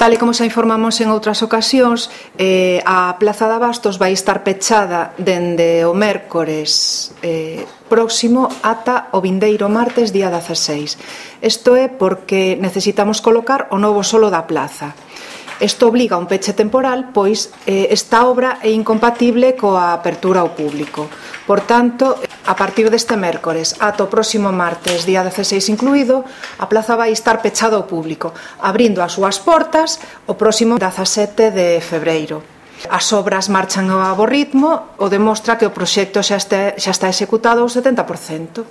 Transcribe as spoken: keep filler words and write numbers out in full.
Tal e como xa informamos en outras ocasións, eh, a Plaza de Abastos vai estar pechada dende o mércores eh, próximo ata o vindeiro martes, día dezaseis. Isto é porque necesitamos colocar o novo solo da plaza. Isto obliga a un peche temporal, pois eh, esta obra é incompatible coa apertura ao público. Por tanto, a partir deste mércores ata o próximo martes, día dezaseis incluído, a plaza vai estar pechada ao público, abrindo as súas portas o próximo dezasete de febreiro. As obras marchan a bo ritmo, o demostra que o proxecto xa está, xa está executado ao setenta por cento.